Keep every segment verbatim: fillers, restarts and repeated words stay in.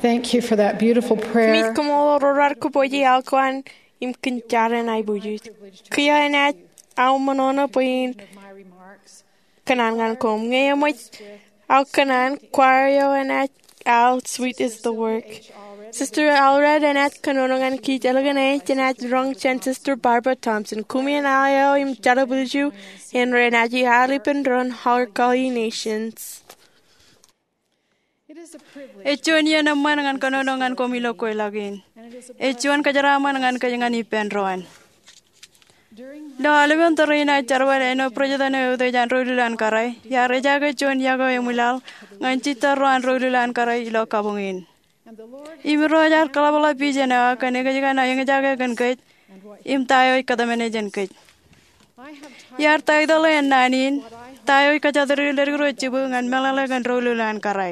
Thank you for that beautiful prayer. Kōmij koṃṃool ro raar kōpooje aokuwaan im kōn jar in aiboojoj. Kiiō enaaj aō ṃōṇōṇō bwe in kōṇaan ñan koṃ. Ñe eṃōj aō kōṇaan, choir eo enaaj al Sweet Is the Work. Sister Allred enaaj kōnono ñan kij ālikin enaaj roñ jān Sister Barbara Thompson. Koṃwin al eo im jar eo bwilju in renaaj al ippān doon Our Guardian Nations. Ej juon iien eṃṃan ñan kōnono ñan koṃ ilo kweilọk in. Ej juon kōjeraaṃṃan ñan kōj ñan ippān doon. Ilo aolepen tōre in aō jerbal āinwōt President eo eutiej an Ro Ilul an Kōrā, iar ejaake juon yokwe eo emwilaḷ ñan jitōrro an Ro Ilul an Kōrā ilo kabuñ in. Im Irooj ear kaḷapḷọk vision eo aō kōn ekōjkan aō eñjake kōn kōj im ta eo ej kōtmāne jān kōj. Iar taitōḷ e ennaan in, Ta Eo Ej Kajatdikdik Leddik Ro Jibū ñan Meḷeḷe kōn Ro Ilul an Kōrā.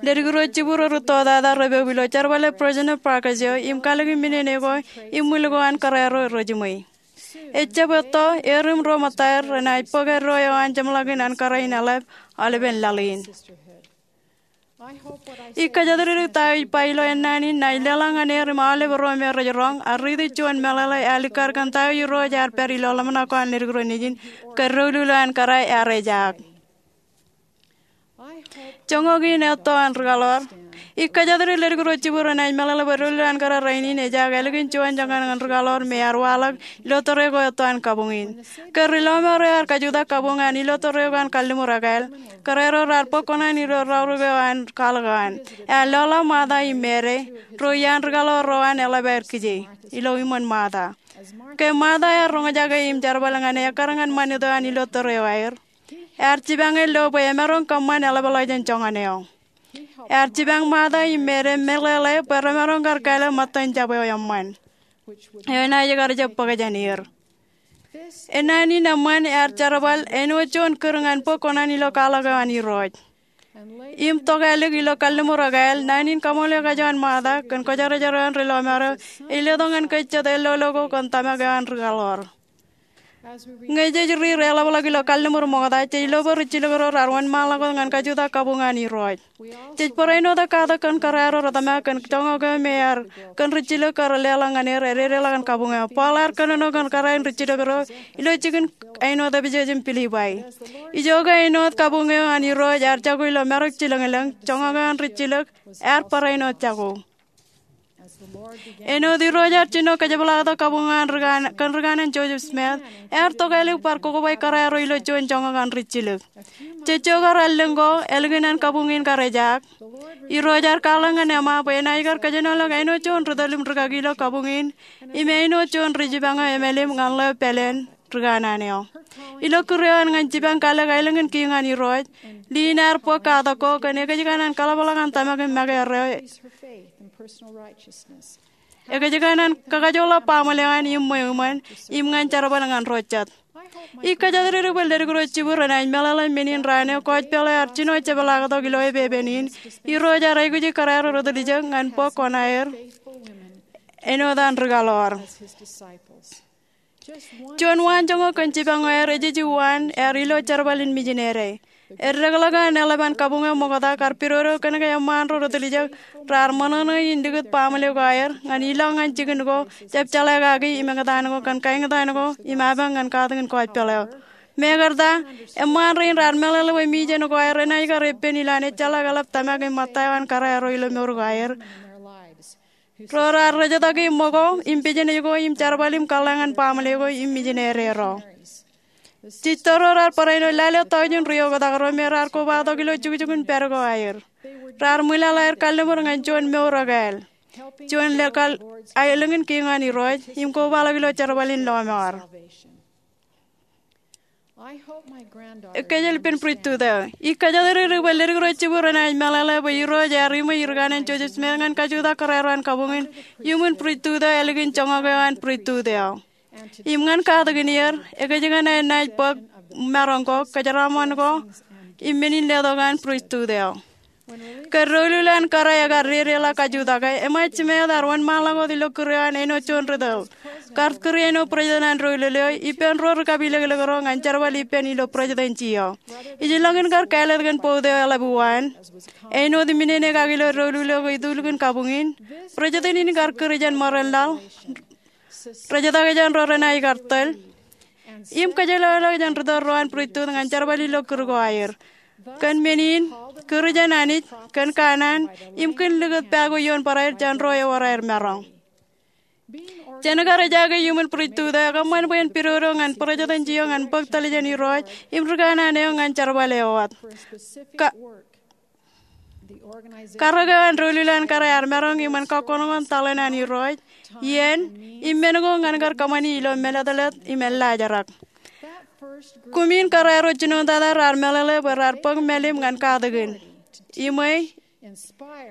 Leddik ro jibū ro rūtto tata repoub ilo jerbale President Parker eo im kalōk im minen eo ko im ṃwil ko an kōrā ro rejiṃwe. Ejjab etto, er im ro ṃōttaer renaaj bōk eddo eo an jeṃḷọkin an kōrā in eḷap aolepen laḷ in. Ij kajatdikdik ta eo ij ba ilo ennaan in naaj leḷọk ñan er im aolep ro me rej roñ, ak riiti juon meḷeḷe ear likkar kōn ta eo Irooj ear pād ilo ḷōmṇak ko an leddik ro nejin, kōn Ro Ilul an Kōrā ear ejaak. Joñak in etto an rikaḷoor. Ij kajatdikdik leddik ro jibū renaaj meḷeḷe bwe Ro Ilul an Kōrā rainin ejaak ālikin juon joñan ñan rikaḷoor me ear waḷọk ilo tōre ko etto an kabuñ in. Kōn ri lọmọọr eo ear kajutak kabuñ an ilo tōre ko an kalliṃur ekāāl, kōrā ro raar bōk kuṇaan ilo raorōk eo an kwaḷọk eo an. Ear lọḷọk Ṃaata im Meri, ro iaan rikaḷoor ro an eḷap aer kije, ilo iṃōn Ṃaata. Ke Ṃaata ear roñjake im jerbal ñan e ekkar ñan ṃanit eo an ilo tōre eo aer, ear jipañ e lo bwe emaroñ kōṃṃan eḷapḷọk jān joñan eo. Ear jipañ Ṃaata im Meri meḷeḷe bwe remaroñ kar kāālōt ṃōttan jab eo eṃṃan, eo enaaj kar jab bōk jān er. Ennaan in eṃṃan ear jerbal āinwōt juon kūr ñan bōk kuṇaan ilo kwaḷọk eo an Irooj. Im tokālik ilo kalliṃur ekāāl, naan in kaṃool eo kajoon Ṃaata kōn kwōjarjar eo an ri lọmọọr eo ej letok ñan kōj jet ellolo ko kōn tōmak eo an rikaḷoor. Ñe jej riir eḷapḷọk ilo kalliṃur ṃokta, jej lo bwe ri jilōk ro raar wōnṃaanḷọk wōt ñan kajutak kabuñ an Irooj. Jej barāinwōt katak kōn kōrā ro retōmak kōn joñak eo me ear kōn ri jilōk kar leḷọk ñan er ededeḷọk an kabuñ eo. Paul ear kōnono kōn kōrā in ri jilōk ro ilo jikin āinwōt Epesōs im Pilippai. Ijoke āinwōt kabuñ eo an Irooj ear jako ilo marok jilōñlōñ, joñak eo an ri jilōk ear barāinwōt jako. Āinwōt Irooj ear jino kajepḷaaktok kabuñ eo an rikaan, kōn rikaanen Joseph Smith, ear tokālik bar kokoba kōrā ro ilo juon joñak an ri jilōk. Jejjo kar allōñ ko, ālikin an kabuñ in kar ejaak, Irooj ear kwaḷọk ñan Emma bwe enaaj kar kōjenolọk āinwōt juon ri tōl im rikaki ilo kabuñ in, im āinwōt juon ri jipañ eo emālim ñan ḷeo pāleen rikanaan eo. Ilo kūr eo an ñan jipañ kalōk aelōñ in kiiñ an Irooj, Lynn ear bōk katak ko kōn ekōjkan an kaḷapḷọk an tōmak im make erreo. Ekōjkan an kakajoḷọk baaṃle eo an im ṃweo iṃōn, im ñan jerbal ñan ro jet. Ij kajatdikdik bwe leddik ro jibū renaaj meḷeḷe men in raan eo kōjpeḷ eo ear jino jepḷaaktok ilo epepen in, Irooj ear aikuji kōrā ro retiljek ñan bōk kuṇaer āinwōt an rikaḷoor. Juon waanjoñak kōn jipañ eo aer ej ej uwaan ear ilo jerbal in mijinere. Eddekḷọk an eḷap an kabuñ eo ṃokta kar pidodo kōnke eṃṃaan ro retiljek raar ṃōṇōṇō in likūt baaṃle ko aer ñan ilọk ñan jikin ko jab jeḷā kaki im eñtaan ko kōn kaeñtaan ko im apañ ñan katakin kōjpeḷ eo. Mekarta, eṃṃaan rein raar meḷeḷe bwe mijen ko aer enaaj kar epen ilowaan ejjeḷọk eḷap tōmak im ṃōtta eo an kōrā ro ilo mour ko aer. Ro raar rejjitōk ṃōko im business ko im jerbal im kōḷḷā ñan baaṃle ko im mijinere ro. Jitōl ro raar barāinwōt lale taujin ri oktak ro me raar kobatok ilo jukjuk in pād ko aer. Raar ṃwilaḷ aer kalliṃur ñan juon mour ekāāl, juon leḷọk aelōñ in kiiñ an Irooj im kobaḷọk ilo jerbal in lọmọọr. Kōjeḷ ippān priesthood eo. Ij kajatdikdik bwe leddik ro jibū renaaj meḷeḷe bwe Irooj ear iṃwe rikaanen Joseph Smith ñan kajutak kōrā ro an kabuñ in iuṃwin priesthood eo ālikin joñak eo an priesthood eo. Im ñan katakin er, ekōjkan enaaj bōk maroñ ko, kōjeraaṃṃan ko, im men in letok an priesthood eo. Ke Ro Ilul an Kōrā ekar dedeḷọk kajutake, eṃōj jimeet ear wōnṃaanḷọk wōt ilo kūr eo an āinwōt juon ri tōl. kar kūr āinwōt būrejetan an doulul eo ippān ro ri kab ilōklōk ro ñan jerbal ippān ilo būrejetanji eo. Ijellọkin kar kāālōt kōn bout eo eḷap uwaan, āinwōt im inenekaki ilo doulul eo ke itulkin kabuñ in, būrejetan in kar kūr jān ṃōrāṇ laḷ, rejetake jān ro renaaj kar tōl, im kōjjeḷāḷọk jān ritōl ro an būrettut ñan jerbal ilo kūr ko aer. Kōn men in, kūr jān Anij, kōn kanaan, im kōn likūt pā ko ioon bōraer jān ro ewōr aer maroñ. Jān kar ejake iuṃwin būrettut eo, ekōṃṃan bwe en pidodo ñan būrejetanji eo ñan bōk tōl jān Irooj im ri kanaan eo ñan jerbal eo wōt. Ka- Karōk eo an doulul an kōrā ear maroñ iṃōn kakkōṇokōṇ tōḷan an Irooj, iien, im men ko ñan kar kōṃṃani ilo mālōtlōt im ellaajrak. Kuṃin kōrā ro jinoin tata raar meḷeḷe bwe raar bōk mālim ñan katakin, iṃwe,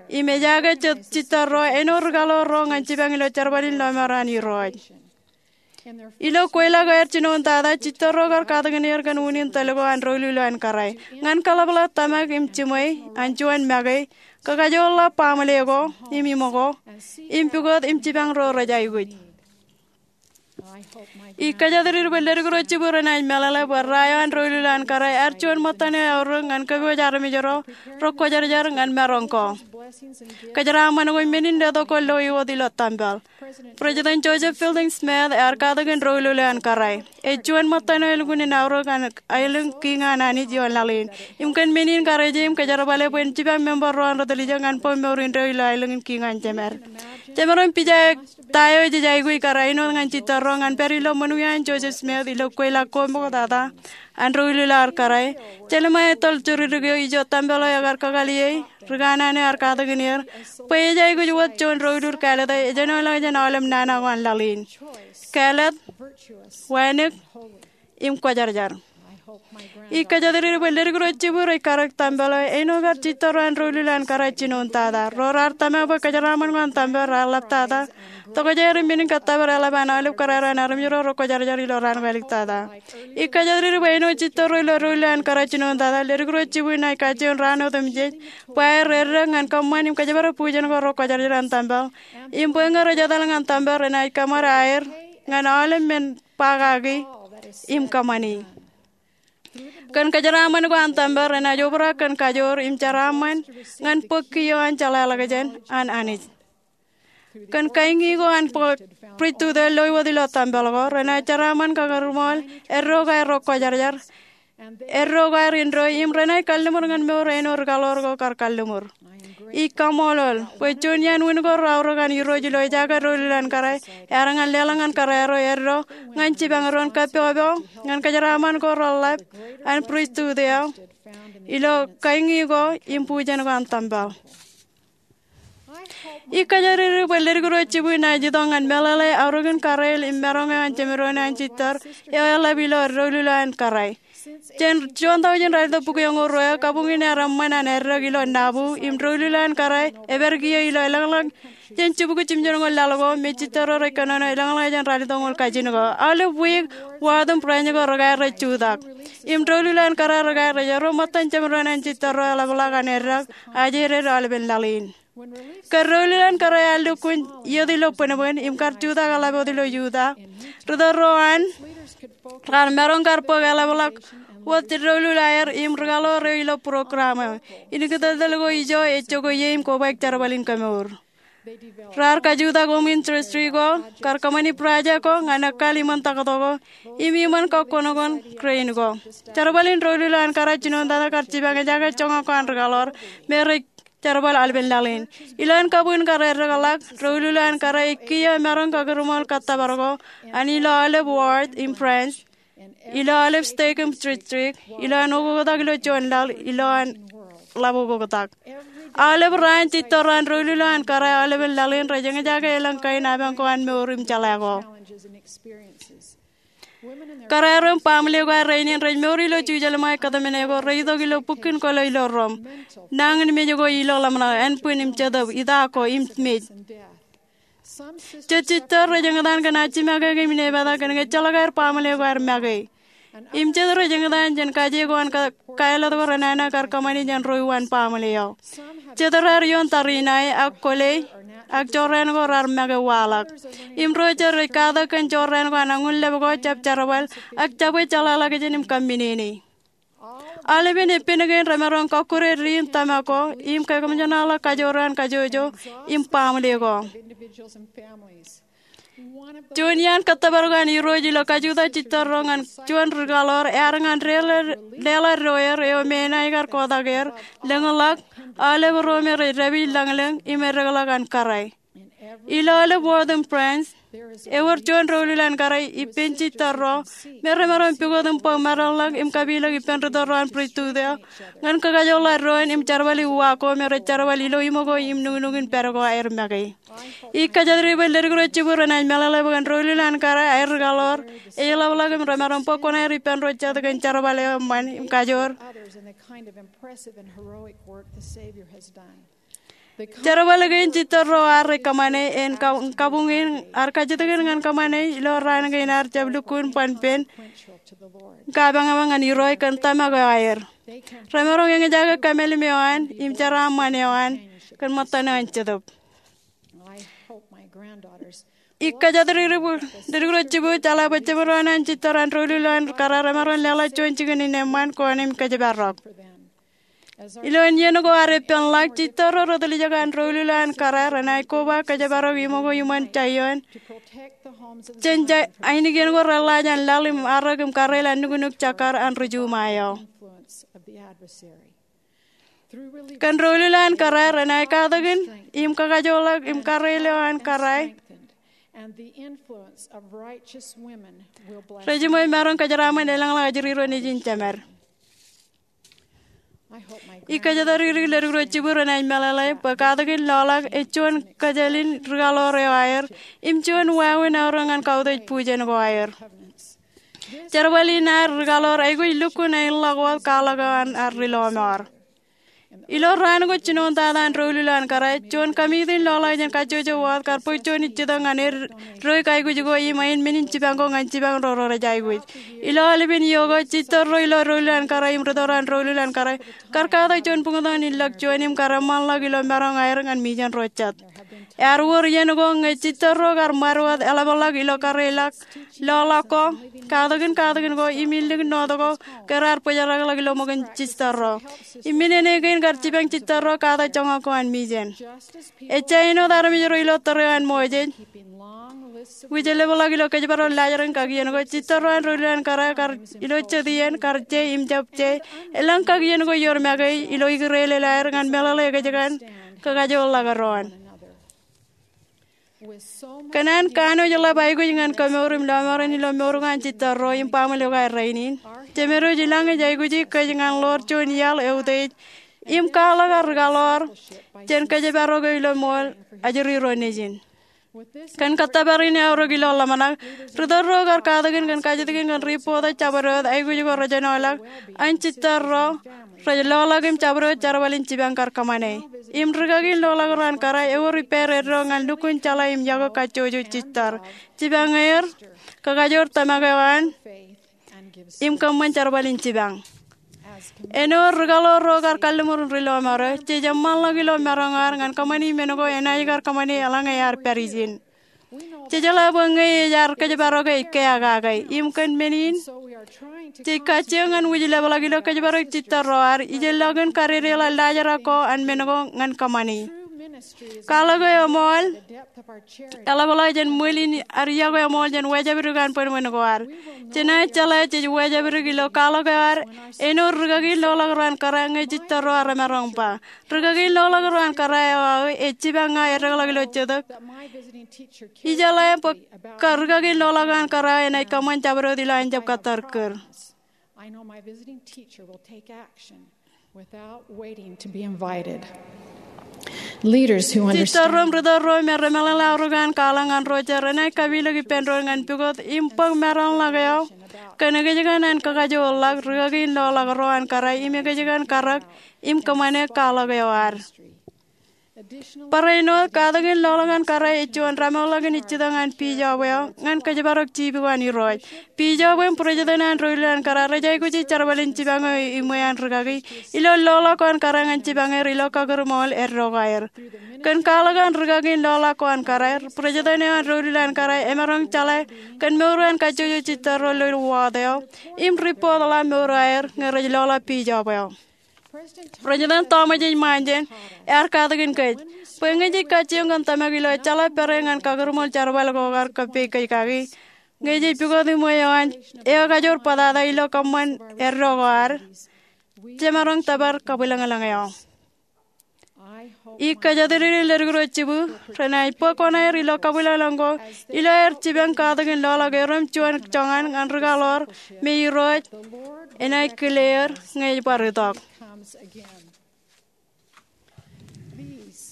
im ejake jet jitōl ro āinwōt ri kaḷoor ro ñan jipañ ilo jerbal in lọmọọr an Irooj. Ilo kweilọk eo aer jinoin tata, jitōl ro kar katakin er kōn unin tōl ko an doulul eo an kōrā ñan kaḷapḷọk tōmak im jiṃwe an juon make, kakajoorḷọk baaṃle ko im iṃō ko, im pukot im jipañ ro rej aikuj. Ij kōjatdikdik bwe ledik ro jibū renaaj meḷeḷe bwe ra eo an doulul eo an kōrā ear juon ṃōttan eo eaorōk ñan kōpooj armej ro rekwōjarjar ñan maroñ ko. Kōjeraaṃṃan ko men in letok ko loe wōt ilo tempel. President Joseph Fielding Smith ear katakin doulul eo an kōrā. Ej juon ṃōttan eo elukkuun en aorōk an aelōñ kiiñ an Anij ioon laḷ in. Im kōn men in kareje im kōjerbale bwe en jipañ member ro an ri tiljek ñan bōk mour indeeo ilo aelōñ in kiiñ an Jemād. Jemaroñ pija ta eo ej aikuj kōrā āinwōt ñan jitōl ro ñan pād ilo ṃōn wiaan Joseph Smith ilo kweilọk ko ṃoktata an doulul eo an kōrā. Jeremiah tōl joridik eo ijo tempel eo ekar kakaliei, ri kanaan eo ear katakin er, bwe ej aikuj wōt juon doulul kāālōt eo ejenoḷọk jān aolep nana ko an laḷ in. Kāālōt, wānōk, im kwōjarjar. Ij kōjatdikdik bwe ledik ro jibū rej karōk tempel eo āinwōt kar jitōl ro an doulul eo an kōrā jinoin tata. Ro raar tōmak bwe kōjeraaṃṃan ko an tempel raar ḷaptata. Tokjāer im men in kōttōpar eḷap an aolep kōrā ro an armej ro rekwōjarjar ilo raan ko āliktata. Ij kōjatdikdik bwe āinwōt jitōl ro ilo doulul eo an kōrā jinoin tata, ledik ro jibū enaaj kajjioñ raan otemjej bwe aer eddek ñan kōṃṃan im kōjparok bujen ko rekwōjarjar an tempel. Im bwe ñe rej etal ñan tempel renaaj kōṃṃan aer ñan aolep men ba kaki im kōṃṃani. Kōn kōjeraaṃṃan ko an tempel renaaj obrak kōn kajoor im jeraaṃṃan ñan bōk kiiō an jeḷāḷọkjeṇ an Anij. Kōn kañi ko an būrettut eo loe wōt ilo tempel ko, renaaj jeraaṃṃan kakūrṃool eddo ko aer rekwōjarjar, eddo ko aer indeeo, im renaaj kalliṃur ñan mour āinwōt ri kaḷoor ko kar kalliṃur. Ij kaṃṃoolol bwe juon iaan wūn ko reaorōk an Irooj ilo ejake doulul eo an kōrā ear ñan leḷọk ñan kōrā ro eddo ñan jipañ doon kappokpok ñan kōjeraaṃṃan ko reḷḷap an būrettut eo ilo kañi ko im bujen ko an tempel. Ij kōjatdikdik bwe ledik ro jibū enaaj itok ñan meḷeḷe aorōkin kōrā im maroñ eo an jemdoon eo an jitōl eo eḷap ilo doulul eo an kōrā. Jān juon taujin ralitōk bukwi eñoul ruo eo, kabuñ in ear eṃṃan an eddek ilo Nauvoo, im doulul eo an kōrā epād kiiō ilo elōñḷọk jān jibukwi jimjuonñoul laḷ ko me jitōl ro rej kōnono elōñḷọk jān ralitōk ñoul kajin ko. Aolep wiik, ward im branch ko rekar rej jutak. Im doulul eo an kōrā rekar rej erro ṃōttan jemdoon an jitōl ro eḷapḷọk an eddek ajeeded aolepen laḷ in. Ke doulul eo an kōrā ear lukkuun iiet ilo bōnbōn im kar jutak eḷap wōt ilo Utah, ritōl ro an raar maroñ kar bōk eḷapḷọk wōt doulul aer im ri kaḷoor eo ilo program eo. Inutōl ko ijo ej jokwe ie im kobaik jerbal in kemour. Raar kajutak oṃwin district ko, kar kōṃṃani project ko ñan ekkal iṃōn taktō ko im iṃōn kakkōṇokōṇ crane ko. Jerbal in doulul eo an kōrā jinoin tata kar jipañ ejake joñak ko an ri kaḷoor me rej jerbal aolepen laḷ in. Ilowaan kabuñ kar eddekḷọk, doulul eo an kōrā ej kiiō emaroñ kakūrṃool kōttōpar ko an ilo aolep ward im branch, ilo aolep stake im district, ilowaan okoktak ilo juon laḷ, ilowaan ḷap okoktak. Aolep raan jitōl ro an doulul eo an kōrā aolepen laḷ in rej eñjake elōñ kain apañ ko an mour im jeḷā ko. Kōrā ro im baaṃle ko an rainin rej mour ilo jujelṃae kōtmāne ko reitok ilo bukkin kōlo ilo rom. Nañinmej ko ilo ḷōmṇak, ānbwin im jetōb, ita ko im mej. Jet jitōl rej eñtaan kōn ajimake im inepata kōn ñe ejjeḷọk aer baaṃle ko aer make. Im jet rej eñtaan jān kaje ko an ka-, kāālōt ko renana kar kōṃṃani jān ro uwaan baaṃle eo. Jet raar ioon tariṇae ak kwōle ak jorrāān ko raar make waḷọk. Im ro jet rej katak kōn jorrāān ko an añuṇ lep ko jab jerbal, ak jabwe jeḷāḷọkjeṇ im kamminene. Aolepen eppān kein remaroñ kọkkure diin tōmak ko im kōmjeṇaḷọk kajoor an kajjojo im baaṃle ko. Juon iaan kōttōpar ko an Irooj ilo kajutak jitōrro ñan juon ri-kaḷoor ear ñan leḷọk doer eo me enaaj kar kotak er, lōñḷọk, aolep ro me rej dāpij lañlōñ im edekḷọk an kōrā. Ilo aolep ward im branch, ewōr juon doulul an kōrā ippān jitōrro me remaroñ pukot im bōk meḷeḷe im kapilōk ippān ri tōl ro an priesthood eo ñan kakajoorḷọk doon im jerbali uwaak ko me rej jerbal ilo iṃō ko im nuknuk in pād ko aer make. Ij kōjatdikdik bwe ledik ro jibū renaaj meḷeḷe bwe kōn doulul an kōrā aer ri-kaḷoor ej ḷapḷọk im remaroñ bōk kuṇaer ippān ro jet kōn jerbal eo eṃṃan im kajoor. Jerbal kein jitōrro ear rej kōṃṃane en ka-, kabuñ in ear kajjitōk in ñan kōṃṃane ilo raan kein ear jab lukkuun ban pen kapañpañ ñan Irooj kōn tōmak eo aer. Remaroñ eñjake kōmālim eo an im jeraaṃṃan eo an kōn ṃōttan eo an Jetōb. Ij kōjatdikdik bwe ledik ro jibū jeḷā bwe jemdoon an jitōrro an doulul eo an kōrā remaroñ leḷọk juon jikin in eṃṃan koṇ im kōjparok. Ilo iien ko ear eppānḷọk, jitōrro ri-tiljek an doulul eo an kōrā renaaj koba kōjparok iṃō ko iṃōn Jaion jān ainikien ko reḷḷaaj an laḷ im arōk im karreoḷ an nuknuk jekkar an ri-Juma eo. Kōn doulul eo an kōrā renaaj katakin im kakajoorḷọk im karreoḷ eo an kōrā rej jiṃwe maroñ kōjeraaṃṃan elōñḷọk ajri ro nejin jemed. Ij kōjatdikdik ledik ro jibū renaaj meḷeḷe bwe katakin loḷọk ej juon kōjālin ri-kaḷoor eo aer im juon wāween aorōk ñan kautiej bujen ko aer. Jerbal in ad ri-kaḷoor aikuj lukkuun aenḷọk wōt kwaḷọk eo an ad ri-lọmọọr. Ilo raan ko jinoin tata an doulul eo an kōrā, juon kōmitin loḷọk jān kajjojo wōt kar bōk juon ijjitōk ñan eddoik aikuj ko im ain men in jipañ ko ñan jipañ ro rej aikuj. Ilo aolepen iiō ko, jitōrro ilo doulul eo an kōrā im ri tōl ro an doulul eo an kōrā kar katak juon buñtōn in lọk juon im kar eṃṃanḷọk ilo maroñ aer ñan mijen ro jet. Ear wōr iien ko ñe jitōrro kar ṃad wōt eḷapḷọk ilo karreoḷọk loḷọk ko, katakin katakin ko im illik north ko ke raar bōjrakḷọk ilo ṃōkin jitōrro. Im men eo kein kar jipañ jitōrro katak joñak ko an mijen. Ejja āinwōt armej ro ilo tōre eo an Moses wijeḷapḷọk ilo kōjparok laajrak in kakien ko, jitōrro an doulul eo an kōrā kar ilo jet iien kar je im jab je elōñ kakien ko ioon make ilo ikdeḷọñ aer ñan meḷeḷe ekōjkan kakajoorḷọk doon. Kōn an kanooj ḷap aikuj ñan kōmour im lọmọọren ilo mour ko an jitōrro im baaṃle ko aer rainin, Jemedwōj ilañ ej aikuji kōj ñan ḷoor juon iaḷ eutiej im kwaḷọk ad ri-kaḷoor jān kōjparok eo ilo ṃool ajri ro nejin. Kōn kōttōpar in eaorōk ilo ḷōmṇak, ri tōl ro kar katakin kōn kajjitōk in kōn ri bōktok jabdewōt aikuj ko rej āinwōt an jitōrro rej loḷọk im jabdewōt jerbal in jipañ kar kōṃṃane. Im rikaki in loḷọk ro an kōrā ewōr ippāer eddo ñan lukkuun jeḷā im yokwe kajjojo jitōr, jipañ er, kakajoor tōmak eo an, im kōṃṃan jerbal in jipañ. Āinwōt ri-kaḷoor ro kar kalliṃur in ri-lọmọọr eo, jej eṃṃanḷọk ilo maroñ ad ñan kōṃṃani men ko enaaj kar kōṃṃane eḷaññe ear pād ijin. Jej jeḷā bwe ñe ej ad kōjparok ej keakake. Im kōn men in, jej kajjioñ ñan wūjlepḷọk ilo kōjparok jitōrro ad, ijellọkin kadedeḷọk laajrak ko an men ko ñan kōṃṃani. Kwaḷọk eo eṃool eḷapḷọk jān ṃwil in ad yokwe eṃool jān wājāpdik an bwinbwin ko ad. Jenaaj jeḷā jej wājāpdik ilo kwaḷọk eo ad āinwōt rikaki in loḷọk ro an kōrā ñe jitōrro ad remaroñ ba, rikaki in loḷọk ro an kōrā eo aō ej jipañ ña edekḷọk ilo jetōb. Ijeḷā bwe kar rikaki in loḷọk ro an kōrā eo enaaj kōṃṃan jabdewōt ilo an jab kōttar kūr. I know my visiting teacher will take action without waiting to be invited. Leaders who understand Jitōrro im ri tōl ro me remeḷeḷe aorōk an kwaḷọk ñan ro jet renaaj kapilōk ippān doon ñan pukot im bōk maroñḷọk eo kōn ekōjkan an kakajoorḷọk rikaki in loḷọk ro an kōrā im ekōjkan karōk im kōṃṃane kwaḷọk eo ad. Barāinwōt, katakin ḷoḷọk an kōrā ej juon rōṃōkḷọk in ijjitōñ an Bijob eo ñan kōjparok jipuk an Irooj. Bijob im President an doulul an kōrā rej aikuji jerbal in jipañ eo iṃwe an rikaki ilo ḷoḷọk ko an kōrā ñan jipañ er ilo kakūrṃool eddo ko aer. Kōn kwaḷọk an rikaki in ḷoḷọk ko an kōrā, President eo an doulul an kōrā emaroñ jeḷā kōn mour eo an kajjojo jitōrro ilo wōt eo im ripootḷọk mour eo aer ñe rej ḷoḷọk Bijob eo. President Thomas S. Monson ear katakin kōj bwe ñe jej kajjioñ kōn tōmak ilo ejjeḷọk pād ñan kakūrṃool jerbal ko kar kōppei kōj kaki, ñe jej pukot iṃwe eo an eo ekajoor bōtata ilo kōṃṃan eddo ko ad, jemaroñ tōpar kabwilōñlōñ eo. Ij kōjatdikdik leddik ro jibū renaaj bōk oṇāer ilo kabwilōñlōñ ko ilo aer jipañ katakin ḷoḷọk eo im juon joñan ñan ri kaḷoor me Irooj enaaj kile er ñe ej bar itok.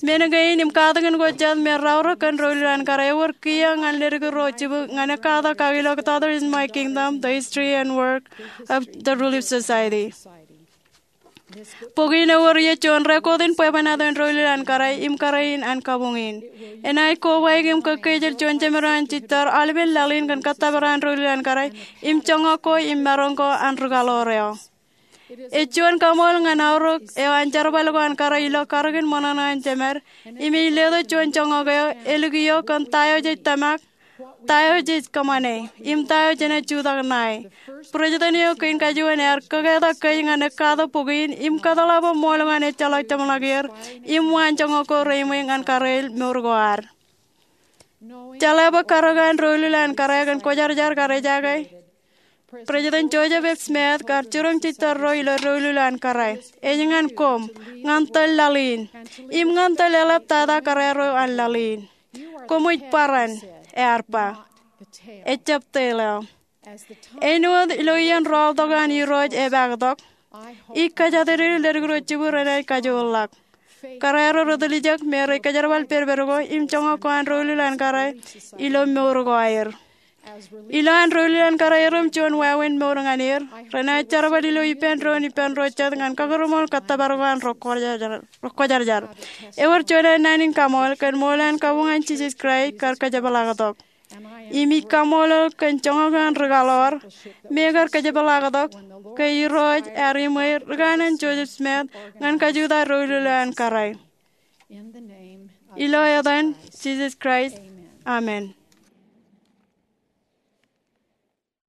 Men kein im katakin ko jet me raorōk kōn doulul an kōrā ewōr kiiō ñan leddik ro jibū ñan ekkatak kaki ilo Daughters in My Kingdom: The History and Work of the Relief Society. Bok in ewōr ie juon rekoot in bwebwenato in doulul an kōrā im kōrā in an kabuñ in. Enaaj kobaik im kōkkeejel juon jemed eo an jitōr aolepen laḷ in kōn kōttōpar an doulul an kōrā im joñak ko im maroñ ko an ri kaḷoor eo. Ej juon kaṃool ñan aorōk eo an jerbal ko an kōrā ilo karōk in ṃōṇōṇō an jemed im ej letok juon joñak eo elikio kōn ta eo jej tōmak, ta eo jej kōṃṃane, im ta eo jenaaj jutak ṇae. President eo kein kajuon ear kōketak kōj ñan ekkatak bok in im kōtḷọk bwe ṃool ko an ejjeḷọk jeṃḷọk er im waan joñak ko reiṃwe ñan kōrā in mour ko ad. Jeḷā bwe karōk an doulul an kōrā kōn kwōjarjar kar ejake, President Joseph F. Smith kar jiroñ jitōrro ilo doulul an kōrā. Ej ñan koṃ, ñan tōl laḷ in, im ñan tōl eḷaptata kōrā ro an laḷ in. Koṃij barāinwōt, ear ba, ejjab tōl eo. Āinwōt ilo iien rọọltok an Irooj epaaktok, ij kōjatdikdik leddik ro jibū renaaj kajoorḷọk. Kōrā ro retiljek me rej kōjerbal pedped ko im joñak ko an doulul an kōrā ilo mour ko aer. Ilo an doulul an kōrā erom juon wāween mour ñan er, renaaj jerbal ilo ippān doon ippān ro jet ñan kakūrṃool kōttōpar ko an ri kwōjarjar. Ewōr juon naan in kaṃool kōn ṃool an kabuñ an Jisōs Kraist kar kōjepḷaaktok. Im ij kaṃṃoolol kōn joñak eo an ri kaḷoor me kar kōjepḷaaktok ke Irooj ear iṃwe ri kanaan Joseph Smith ñan kajutak doulul eo an kōrā. Ilo etan Jisōs Kraist, amen.